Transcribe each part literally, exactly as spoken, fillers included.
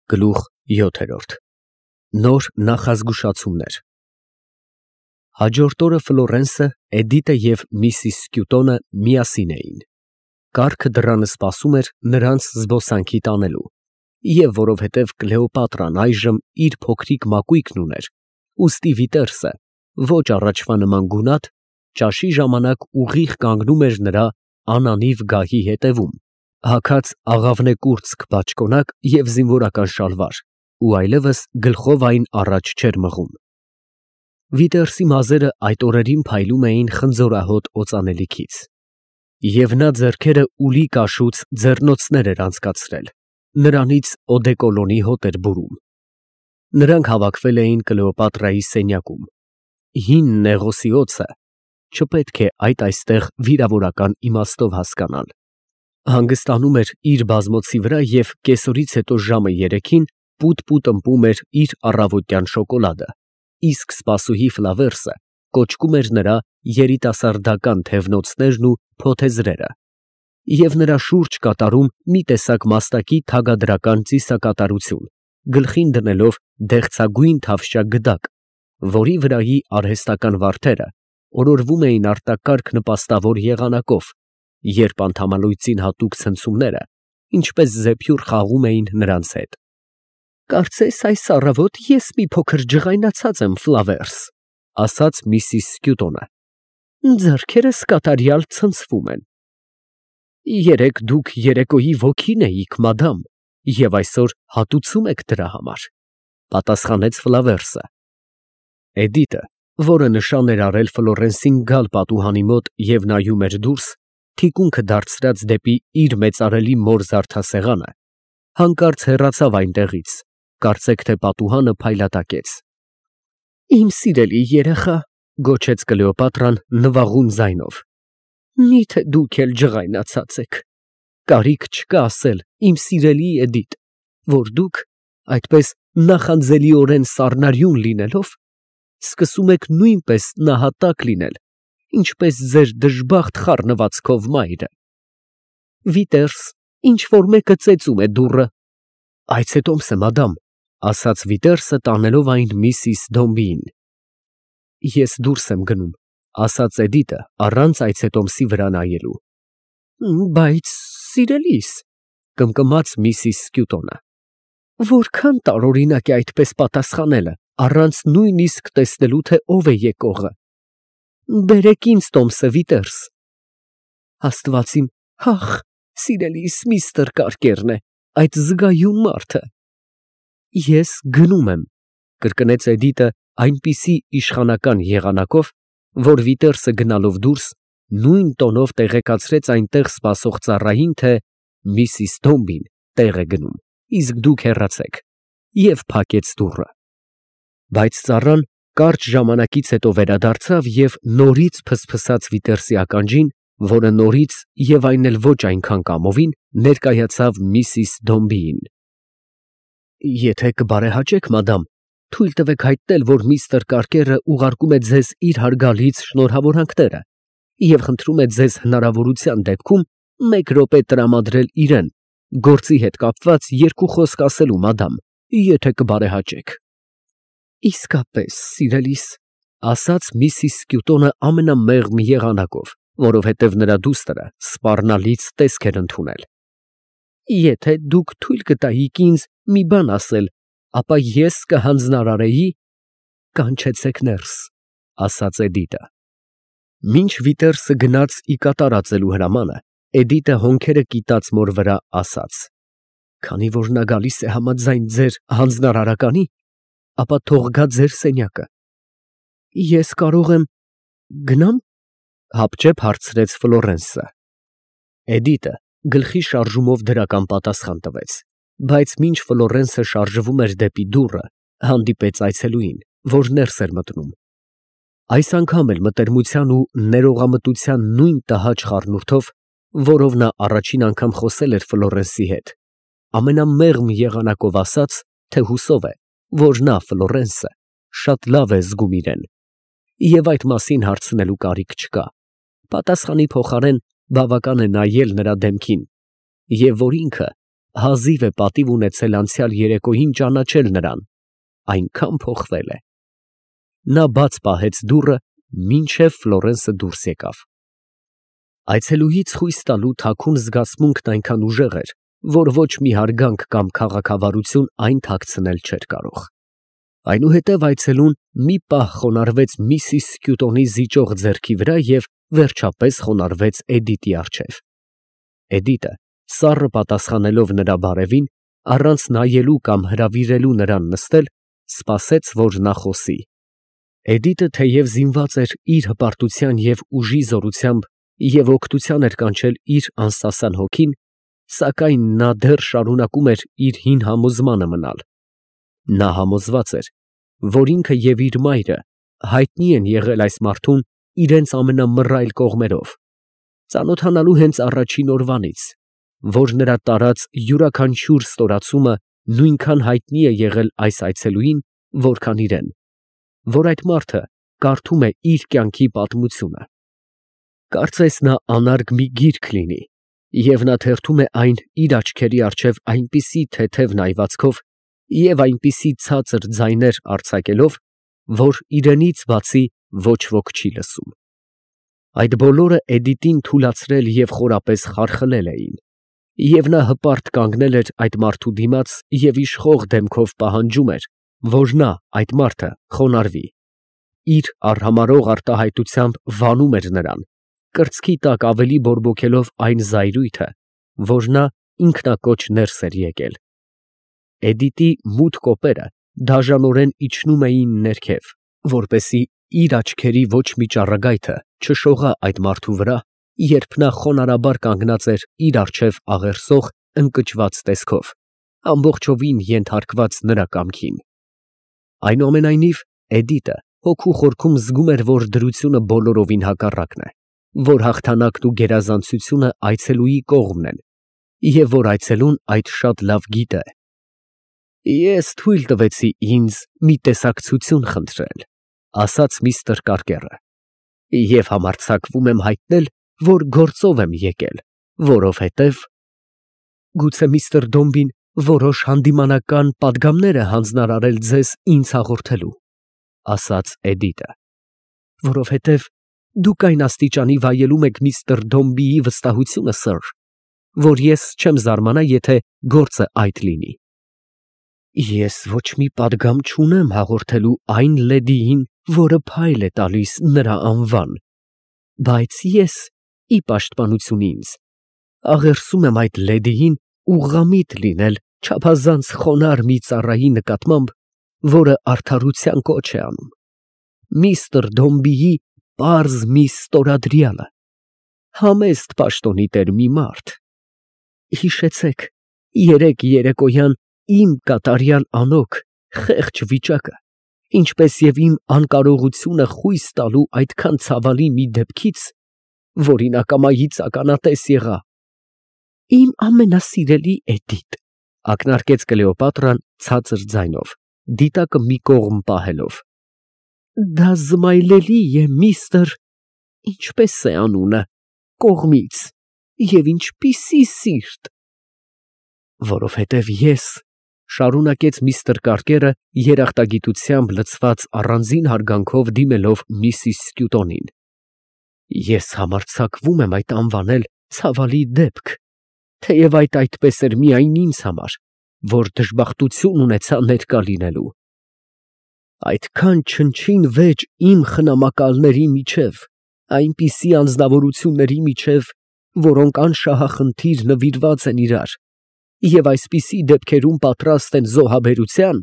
Գլուխ յոթ Նոր նախազգուշացումներ Հաջորդ օրը Ֆլորենսը, Էդիտը և միսիս Սկյուտոնը միասին էին։ Կառքը դռանը սպասում էր նրանց զբոսանքի տանելու, և որովհետև Կլեոպատրան այժմ իր փոքրիկ մակույկն ուներ, ուստի Վիտերսը, ոչ առաջվա նման գունատ, ճաշի ժամանակ ուղիղ կանգնում էր նրա անանիվ գահի ետևում, հագած աղավնե կուրծք բաճկոնակ և զինվորական շալվար, ու այլևս գլխով այն առաջ չէր մղում։ Վիտերսի մազերը այդ օրերին փայլում էին խնձորահոտ օծանելիքից, և նա ձեռքերը ուլի կաշուց ձեռնոցներ էր անցկացրել, նրանից օդեկոլոնի հոտ էր բուրում։ Նրանք հավաքվել էին Կլեոպատրայի սենյակում։ Հին Նեղոսի օձը չպետք է այդ այստեղ վիրավորական իմաստով հասկանալ, հանգստանում էր իր բազմոցի վրա և կեսօրից հետո ժամը երեքին պուտ֊պուտ ըմպում էր իր առավոտյան շոկոլադը, իսկ սպասուհի Ֆլավերսը կոճկում էր նրա երիտասարդական թևնոցներն ու փոթեզրերը, և նրա շուրջ կատարում մի տեսակ մաստակի թագադրական ծիսակատարություն, գլխին դնելով դեղցագույն թավշյա գդակ, որի վրայի արհեստական վարդերը օրորվում էին արտակարգ նպաստավոր եղանակով, երբ անդամալույծին հատուկ ցնցումները, ինչպես զեփյուռ, խաղում էին նրանց հետ։ ֊ Կարծես այս առավոտ ես մի փոքր ջղայնացած եմ, Ֆլավերս, ֊ ասաց միսիս Սկյուտոնը։ ֊ Ձեռքերս կատարյալ ցնցվում են։ ֊ Երեկ դուք երեկոյի ոգին էիք, մադամ, և այսօր հատուցում եք դրա համար, ֊ պատասխանեց Ֆլավերսը։ Էդիտը, որը նշան էր արել Ֆլորենսին գալ պատուհանի մոտ և նայում էր դուրս, թիկունքը դարձրած դեպի իր մեծարելի մոր զարդասեղանը, հանկարծ հեռացավ այնտեղից, կարծեք թե պատուհանը փայլատակեց։ ֊ Իմ սիրելի երեխա, ֊ գոչեց Կլեոպատրան նվաղուն ձայնով, ֊ մի՞թե դուք էլ ջղայնացած եք։ Կարիք չկա ասել, իմ սիրելի Էդիտ, որ դուք, այդպես նախանձելիորեն սառնարյուն լինելով, սկսում եք նույնպես նահատակ լինել, ինչպես ձեր դժբախտ խառնվածքով մայրը։ Վիտերս, ինչ֊որ մեկը ծեծում է դուռը։ ֊ Այցետոմս է, մադամ, ֊ ասաց Վիտերսը, տանելով այն միսիս Դոմբիին։ ֊ Ես դուրս եմ գնում, ֊ ասաց Էդիտը, առանց այցետոմսի վրա նայելու։ ֊ Բայց, սիրելիս, ֊ կմկմաց միսիս Սկյուտոնը, ֊ որքան տարօրինակ է այդպես պատասխանելը, առանց նույնիսկ տեսնելու, թե ով է եկողը։ Բերեք ինձ տոմսը, Վիտերս։ Աստված իմ, հախ, սիրելիս, միստր Կարկերն է, այդ զգայուն մարդը։ Ես գնում եմ, ֊ կրկնեց Էդիտը այնպիսի իշխանական եղանակով, որ Վիտերսը գնալով դուրս, նույն տոնով տեղեկացրեց այնտեղ սպասող ծառային, թե միսիս Դոմբին տեղ է գնում, իսկ դուք հեռացեք, և փակեց դուռը։ Բայց ծառան կարճ ժամանակից հետո վերադարձավ և նորից ֆսֆսաց Վիտերսի ականջին, որը նորից և այն էլ ոչ այնքան կամովին ներկայացավ միսիս Դոմբիին։ ֊ Եթե կբարեհաճեք, մադամ, թույլ տվեք հայտնել, որ միստր Կարկերը ուղարկում է ձեզ իր հարգալից շնորհավորանքները և խնդրում է ձեզ հնարավորության դեպքում մեկ րոպե տրամադրել իրան, գործի հետ կապված երկու խոսք ասելու, մադամ, եթե կբարեհաճեք։ ֊ Իսկապես, սիրելիս, ֊ ասաց միսիս Սկյուտոնը ամենամեղմ եղանակով, որովհետև նրա դուստրը սպառնալից տեսք էր ընդունել։ ֊ Եթե դուք թույլ կտայիք ինձ մի բան ասել, ապա ես կհանձնարարեի… ֊ Կանչեցեք ներս, ֊ ասաց Էդիտը։ Մինչ Վիտերսը գնաց ի կատարածելու հրամանը, Էդիտը հոնքերը կիտած մոր վրա ասաց. ֊ Քանի որ նա գալիս է համաձայն ձեր հանձնարարականի, ապա թող գա ձեր սենյակը։ ֊ Ես կարող եմ… գնա՞մ, ֊ հապճեպ հարցրեց Ֆլորենսը։ Էդիտը գլխի շարժումով դրական պատասխան տվեց, բայց մինչ Ֆլորենսը շարժվում էր դեպի դուռը, հանդիպեց այցելուին, որ ներս էր մտնում։ Այս անգամ էլ մտերմության ու ներողամտության նույն տհաճ խառնուրդով, որով նա առաջին անգամ խոսել էր Ֆլորենսի հետ, ամենամեղմ եղանակով ասաց, թե հուսով է, որ նա, Ֆլորենսը, շատ լավ է զգում իրեն, և այդ մասին հարցնելու կարիք չկա, պատասխանի փոխարեն բավական է նայել նրա դեմքին, և որ ինքը հազիվ է պատիվ ունեցել անցյալ երեկոյին ճանաչել նրան, այնքան փոխվել է։ Նա բաց պահեց դուռը, մինչև Ֆլորենսը դուրս եկավ։ Այցելուից խույս տալու թաքուն զգացմունքն այնքան ուժեղ էր, որ ոչ մի հարգանք կամ քաղաքավարություն այն թաքցնել չէր կարող։ Այնուհետև այցելուն մի պահ խոնարհվեց միսիս Սկյուտոնի զիջող ձեռքի վրա և վերջապես խոնարհվեց Էդիտի առջև։ Էդիտը, սառը պատասխանելով նրա բարևին, առանց նայելու կամ հրավիրելու նրան նստել, սպասեց, որ նա խոսի։ Էդիտը թեև զինված էր իր հպարտության և ուժի զորությամբ և օգնության էր կանչել իր անսասան հոգին, սակայն նա դեռ շարունակում էր իր հին համոզմանը մնալ։ Նա համոզված էր, որ ինքը և իր մայրը հայտնի են եղել այս մարդուն իրենց ամենամռայլ կողմերով, ծանոթանալու հենց առաջին օրվանից, որ նրա տարած յուրաքանչյուր ստորացումը նույնքան հայտնի է եղել այս այցելուին, որքան իրեն, որ այդ մարդը կարդում է իր կյանքի պատմությունը։ Կարծես նա անարգ մի գիրք լինի, և նա թերթում է այն իր աչքերի առջև այնպիսի թեթև նայվածքով և այնպիսի ցածր ձայներ արձակելով, որ իրենից բացի ոչ ոք չի լսում։ Այդ բոլորը Էդիտին թուլացրել և խորապես խարխլել էին, և նա հպարտ կանգնել էր այդ մարդու դիմաց և իշխող դեմքով պահանջում էր, որ նա, այդ մարդը, խոնարհվի, իր արհամարհող արտահայտությամբ վանում էր նրան, կրծքի տակ ավելի բորբոքելով այն զայրույթը, որ նա ինքնակոչ ներս էր եկել։ Էդիտի մութ կոպերը դաժանորեն իջնում էին ներքև, որպեսզի իր աչքերի ոչ մի ճառագայթը չշողա այդ մարդու վրա, երբ նա խոնարհաբար կանգնած էր իր առջև աղերսող, ընկճված տեսքով, ամբողջովին ենթարկված նրա կամքին։ Այնուամենայնիվ, Էդիտը հոգու խորքում զգում էր, որ դրությունը բոլորովին հակառակն է, որ հաղթանակն ու գերազանցությունը այցելուի կողմն են, և որ այցելուն այդ շատ լավ գիտե։ «Ես թույլ տվեցի ինձ մի տեսակցություն խնդրել», ֊ ասաց միստր Կարկերը, «և համարձակվում եմ հայտնել, որ գործով եմ եկել, որովհետև…» «Գուցե միստր Դոմբին որոշ հանդիմանական պատգամներ է հանձնարարել ձեզ ինձ հաղորդելու», ֊ ասաց Էդիտը, «որովհետև դուք այն աստիճանի վայելում եք միստր Դոմբիի վստահությունը, սըր, որ ես չեմ զարմանա, եթե գործը այդ լինի»։ «Ես ոչ մի պատգամ չունեմ հաղորդելու այն լեդիին, որը փայլ է տալիս նրա անվան, բայց ես, ի պաշտպանություն ինձ, աղերսում եմ այդ լեդիին ուղղամիտ լինել չափազանց խոնարհ մի ծառայի նկատմամբ, որը արդարության կոչ է անում, միստր Դոմբիի պարզ մի ստորադրյալը, համեստ պաշտոնի տեր մի մարդ։ Հիշեցեք երեկ երեկոյան իմ կատարյալ անոք, խեղճ վիճակը, ինչպես և իմ անկարողությունը խույս տալու այդքան ցավալի մի դեպքից, որին ակամայից ականատես եղա։ «Իմ ամենասիրելի Էդիտ», ֊ ակնարկեց Կլեոպատրան ցածր ձայնով, դիտակը մի կողմ պահելով, «դա զմայլելի է միստր… ինչպե՞ս է անունը… կողմից, և ինչպիսի սիրտ… որովհետև ես, ֊ շարունակեց միստր Կարկերը, երախտագիտությամբ լցված առանձին հարգանքով դիմելով միսիս Սկյուտոնին, ֊ ես համարձակվում եմ այդ անվանել ցավալի դեպք, թեև այդ այդպես էր միայն ինձ համար, որ դժբախտություն ունեցա ներկա լինելու… Այդքան չնչին վեճ իմ խնամակալների միջև, այնպիսի անձնավորությունների միջև, որոնք անշահախնդիր նվիրված են իրար և այսպիսի դեպքերում պատրաստ են զոհաբերության,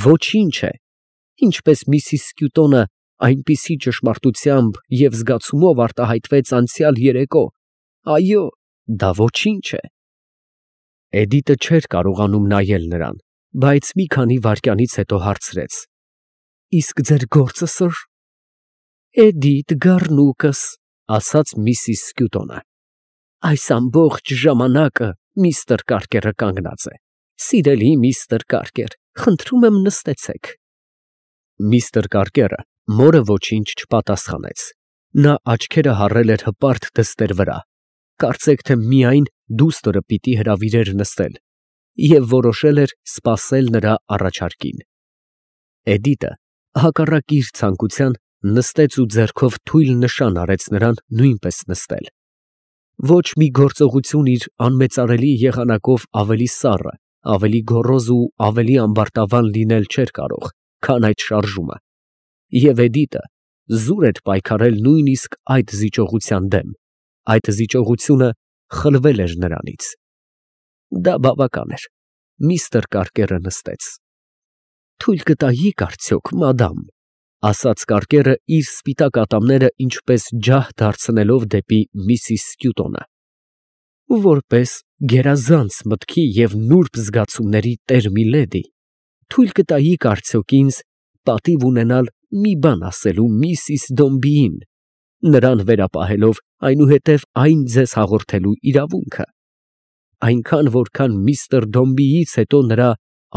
ոչինչ է, ինչպես միսիս Սկյուտոնը այնպիսի ճշմարտությամբ և զգացումով արտահայտվեց անցյալ երեկո, այո, դա ոչինչ է։ Էդիտը չէր կարողանում նայել նրան, բայց մի քանի վայրկյանից հետո հարցրեց. «Իսկ ձեր գործը, սըր»։ «Էդիթ Գառնուկս», ֊ ասաց միսիս Սկյուտոնը, «այս ամբողջ ժամանակը միստր Կարկերը կանգնած է… Սիրելի միստր Կարկեր, խնդրում եմ նստեցեք»։ Միստր Կարկերը մորը ոչինչ չպատասխանեց. նա աչքերը հառել էր հպարտ դստեր վրա, կարծեք թե միայն դուստրը պիտի հրավիրեր նստել և որոշել էր սպասել նրա առաջարկին։ Էդիտը, հակառակ իր ցանկության, նստեց ու ձեռքով թույլ նշան արեց նրան նույնպես նստել։ Ոչ մի գործողություն իր անմեծարելի եղանակով ավելի սառը, ավելի գոռոզ ու ավելի ամբարտավան լինել չէր կարող, քան այդ շարժումը, և Էդիտը զուր էր պայքարել նույնիսկ այդ զիջողության դեմ, այդ զիջողությունը խլվել էր նրանից։ Դա բավական էր, միստր Կարկերը նստեց։ «Թույլ կտայի՞ք արդյոք, մադամ», ֊ ասաց կարկերը իր սպիտակ ատամները ինչպես ջահ դարձնելով դեպի միսիս Սկյուտոնը, ֊ որպես գերազանց մտքի և նուրբ զգացումների տեր միլեդի, թույլ կտայի՞ք արդյոք ինձ պատիվ ունենալ մի բան ասելու միսիս Դոմբիին, նրան վերապահելով այնուհետև այն ձեզ հաղորդելու իրավունքը, այնքան, որքան միստր Դոմբիից հետո նրա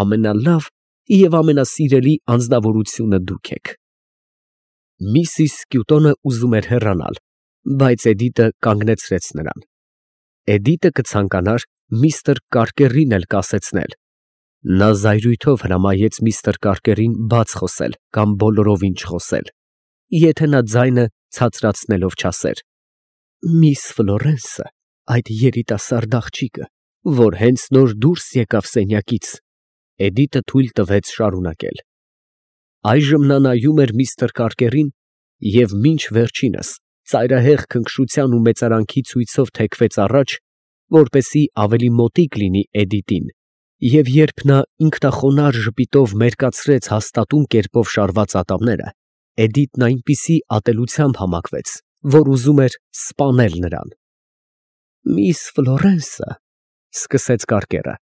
ամենալավ և ամենասիրելի անձնավորությունը դուք եք։ Միսիս Սկյուտոնը ուզում էր հեռանալ, բայց Էդիտը կանգնեցրեց նրան։ Էդիտը կցանկանար միստր Կարկերին էլ կասեցնել։ Նա զայրույթով հրամայեց միստր Կարկերին բաց խոսել կամ բոլորովին չխոսել, եթե նա ձայնը ցածրացնելով չասեր. «Միս Ֆլորենսը, այդ երիտասարդ աղջիկը, որ հենց նոր դուրս եկավ սենյակից», Էդիտը թույլ տվեց շարունակել։ Այժմ նա նայում էր միստր Կարկերին և մինչ վերջինս ծայրահեղ քնքշության ու մեծարանքի ցույցով թեքվեց առաջ, որպեսզի ավելի մոտիկ լինի Էդիտին, և երբ նա ինքնախոնարհ ժպիտով մերկացրեց հաստատուն կերպով շարված ատամները, Էդիտն այնպիսի ատելությամբ համակվեց, որ ուզում էր սպանել նրան։ «Միս Ֆլորենսը, ֊ սկսեց կարկերը, ֊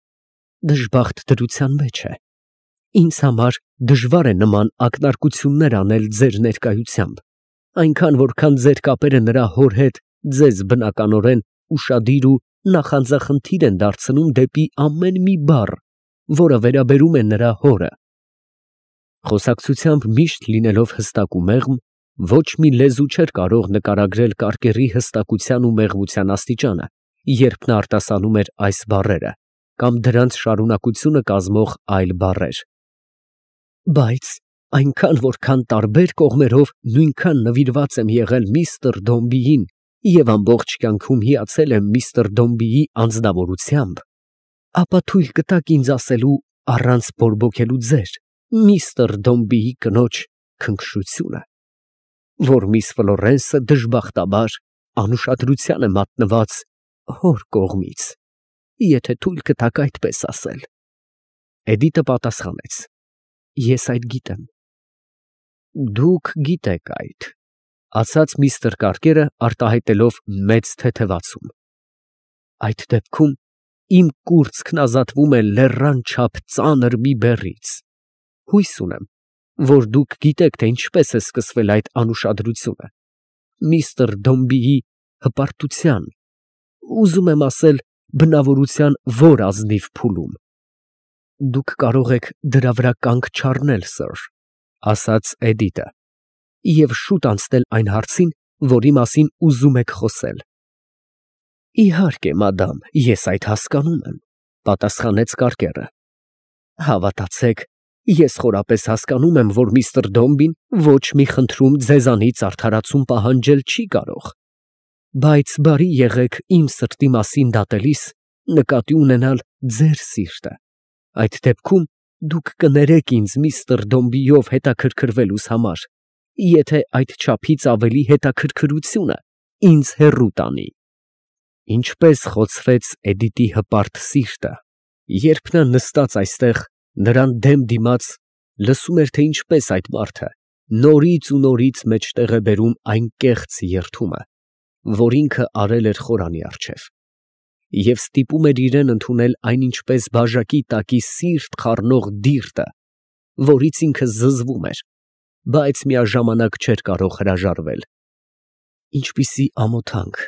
դժբախտ դրության մեջ է։ Ինձ համար դժվար է նման ակնարկություններ անել ձեր ներկայությամբ, այնքան, որքան ձեր կապերը նրա հոր հետ ձեզ բնականորեն ուշադիր ու նախանձախնդիր են դարձնում դեպի ամեն մի բառ, որը վերաբերում է նրա հորը»։ Խոսակցությամբ միշտ լինելով հստակ ու մեղմ, ոչ մի լեզու չէր կարող նկարագրել կարկերի հստակության ու մեղմության աստիճանը, երբ նա արտասանում էր այս բառերը կամ դրանց շարունակությունը կազմող այլ բառեր։ Բայց այնքան, որքան տարբեր կողմերով նույնքան նվիրված եմ եղել միստր Դոմբիին և ամբողջ կյանքում հիացել եմ միստր Դոմբիի անձնավորությամբ, ապա թույլ կտաք ինձ ասելու առանց բորբոքելու ձեր, միստր Դոմբիի կնոջ քնքշությունը, որ միս Ֆլորենսը դժբախտաբար անուշադրության է մատնված հոր կողմից, եթե թույլ կտաք այդպես ասել։ Էդիտը պատասխանեց. «Ես այդ գիտեմ»։ «Դուք գիտեք այդ», ֊ ասաց միստր Կարկերը արտահայտելով մեծ թեթևացում։ «Այդ դեպքում իմ կուրծքն ազատվում է լեռան չափ ծանր մի բեռից։ Հույս ունեմ, որ դուք գիտեք, թե ինչպես է սկսվել այդ անուշադրությունը, միստր Դոմբիի հպարտության, ուզում եմ ասել, բնավորության որ ազնիվ փուլում։ Դուք կարող եք դրա վրա կանգ չառնել, սըր, ֊ ասաց Էդիտը, ֊ և շուտ անցնել այն հարցին, որի մասին ուզում եք խոսել»։ «Իհարկե, մադամ, ես այդ հասկանում եմ», ֊ պատասխանեց կարկերը։ «Հավատացեք, ես խորապես հասկանում եմ, որ միստր Դոմբին ոչ մի խնդրում ձեզանից արդարացում պահանջել չի կարող, բայց բարի եղեք իմ սրտի մասին դատելիս նկատի ունենալ ձեր սիրտը, այդ դեպքում դուք կներեք ինձ միստր Դոմբիով հետաքրքրվելուս համար, եթե այդչափից ավելի հետաքրքրությունը ինձ հեռու տանի»։ Ինչպես խոցվեց Էդիտի հպարտ սիրտը, երբ նա նստած այստեղ նրան դեմ դիմաց լսում էր, թե ինչպես այդ մարդը նորից ու նորից մեջտեղ է բերում այն կեղծ երդումը, որ ինքը արել էր խորանի առջև, և ստիպում էր իրան ընդունել այն ինչպես բաժակի տակի սիրտ խառնող դիրտը, որից ինքը զզվում էր, բայց միաժամանակ չէր կարող հրաժարվել։ Ինչպիսի ամոթանք,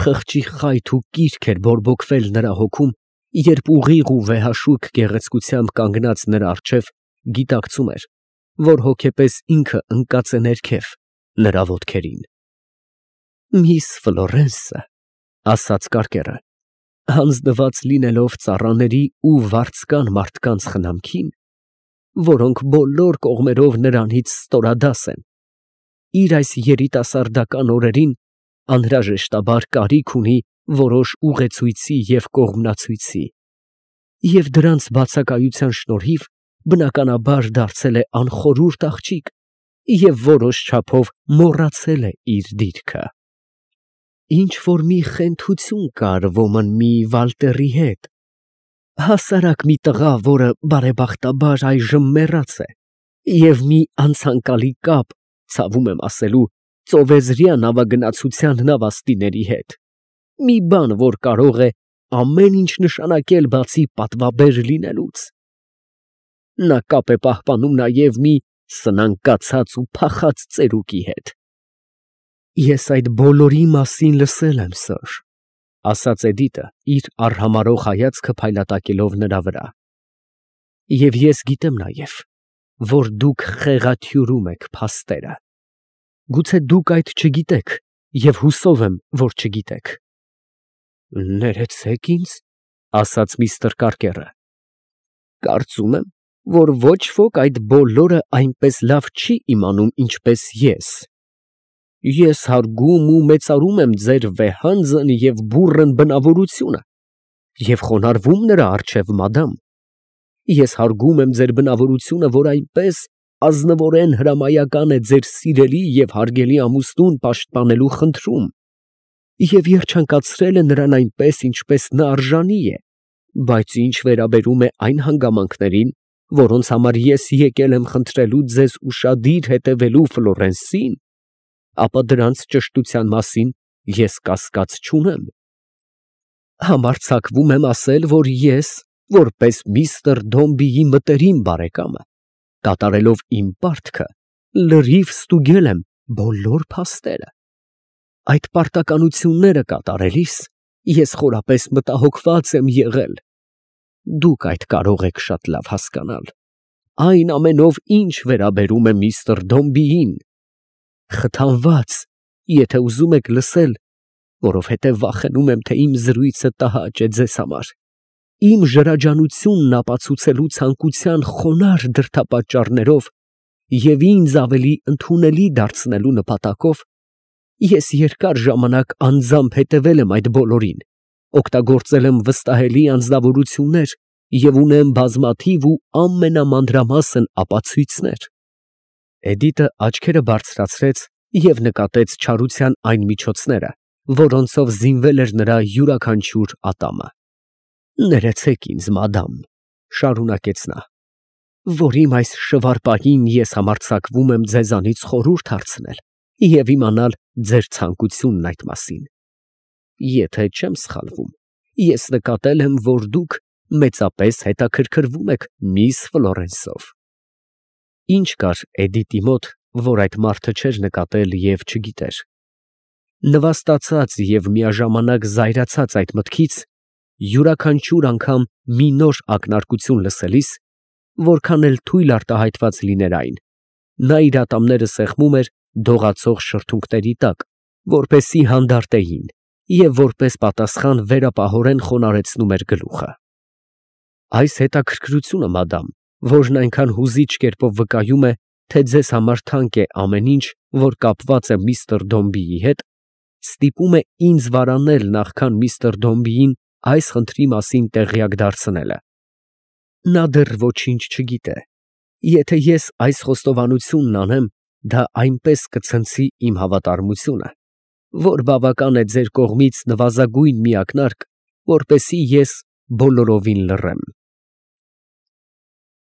խղճի խայթ ու կիրք էր բորբոքվել նրա հոգում, երբ ուղիղ ու վեհաշուք գեղեցկությամբ կանգնած նրա առջև գիտակցում էր, որ հոգեպես ինքը ընկած է ներքև, նրա ոտքերին։ «Միս Ֆլորենսը, ֊ ասաց կարկերը, Հանձնված լինելով ծառաների ու վարձկան մարդկանց խնամքին, որոնք բոլոր կողմերով նրանից ստորադաս են, իր այս երիտասարդական օրերին անհրաժեշտաբար կարիք ունի որոշ ուղեցույցի և կողմնացույցի, և դրանց բացակայության շնորհիվ բնականաբար դարձել է անխորհուրդ աղջիկ և որոշ չափով մոռացել է իր դիրքը։ Ինչ֊որ մի խենթություն կար ոմն մի Վալտերի հետ, հասարակ մի տղա, որը բարեբախտաբար այժմ մեռած է, և մի անցանկալի կապ, ցավում եմ ասելու, ծովեզրյա նավագնացության նավաստիների հետ, մի բան, որ կարող է ամեն ինչ նշանակել բացի պատվաբեր լինելուց։ Նա կապ է պահպանում նաև մի սնանկացած ու փախած ծերուկի հետ։ Ես այդ բոլորի մասին լսել եմ, սըր, ֊ ասաց Էդիտը, իր արհամարհող հայացքը փայլատակելով նրա վրա, և ես գիտեմ նաև, որ դուք խեղաթյուրում եք փաստերը. գուցե դուք այդ չգիտեք և հուսով եմ, որ չգիտեք։ ֊ Ներեցեք ինձ, ֊ ասաց միստր Կարկերը, ֊ կարծում եմ, որ ոչ ոք այդ բոլորը այնպես լավ չի իմանում, ինչպես ես։ Ես հարգում ու մեծարում եմ ձեր վեհանձն և բուռն բնավորությունը և խոնարհվում նրա առջև, մադամ։ Ես հարգում եմ ձեր բնավորությունը, որ այնպես ազնվորեն հրամայական է ձեր սիրելի և հարգելի ամուսնուն պաշտպանելու խնդրում և երջանկացրել է նրան այնպես, ինչպես նա արժանի է, բայց ինչ վերաբերում է այն հանգամանքներին, որոնց համար ես եկել եմ խնդրելու ձեզ ուշադիր հետևելու Ֆլորենսին, ապա դրանց ճշտության մասին ես կասկած չունեմ։ Համարձակվում եմ ասել, որ ես, որպես միստր Դոմբիի մտերիմ բարեկամը, կատարելով իմ պարտքը, լրիվ ստուգել եմ բոլոր փաստերը։ Այդ պարտականությունները կատարելիս ես խորապես մտահոգված եմ եղել։ Դուք այդ կարող եք շատ լավ հասկանալ, այն ամենով, ինչ վերաբերում է միստր Դոմբիին, խթանված, եթե ուզում եք լսել, որովհետև վախենում եմ, թե իմ զրույցը տհաճ է ձեզ համար, իմ ժրաջանությունն ապացուցելու ցանկության խոնարհ դրդապատճառներով և ինձ ավելի ընդունելի դարձնելու նպատակով, ես երկար ժամանակ անձամբ հետևել եմ այդ բոլորին, օգտագործել եմ վստահելի անձնավորություններ և ունեմ բազմաթիվ ու ամենամանրամասն ապացույցներ։ Էդիտը աչքերը բարձրացրեց և նկատեց չարության այն միջոցները, որոնցով զինվել էր նրա յուրաքանչյուր ատամը։ Ներեցեք ինձ, մադամ, ֊ շարունակեց նա, ֊ որ իմ այս շվարպահին ես համարձակվում եմ ձեզանից խորհուրդ հարցնել և իմանալ ձեր ցանկությունն այդ մասին։ Եթե չեմ սխալվում, ես նկատել եմ, որ դուք մեծապես հետաքրքրվում եք միս Ֆլորենսով։ Ինչ կար Էդիտի մոտ, որ այդ մարդը չէր նկատել և չգիտեր։ Նվաստացած և միաժամանակ զայրացած այդ մտքից, յուրաքանչյուր անգամ մի նոր ակնարկություն լսելիս, որքան էլ թույլ արտահայտված լիներ այն, նա իր ատամները սեղմում էր դողացող շրթունքների տակ, որպեսզի հանդարտեին, և որպես պատասխան վերապահորեն խոնարհեցնում էր գլուխը։ Այս հետաքրքրությունը, մադամ, որն այնքան հուզիչ կերպով վկայում է, թե ձեզ համար թանկ է ամեն ինչ, որ կապված է միստր Դոմբիի հետ, ստիպում է ինձ վարանել նախքան միստր Դոմբիին այս խնդրի մասին տեղյակ դարձնելը։ Նա դեռ ոչինչ չգիտե։ Եթե ես այս խոստովանությունն անեմ, դա այնպես կցնցի իմ հավատարմությունը, որ բավական է ձեր կողմից նվազագույն մի ակնարկ, որպեսզի ես բոլորովին լռեմ։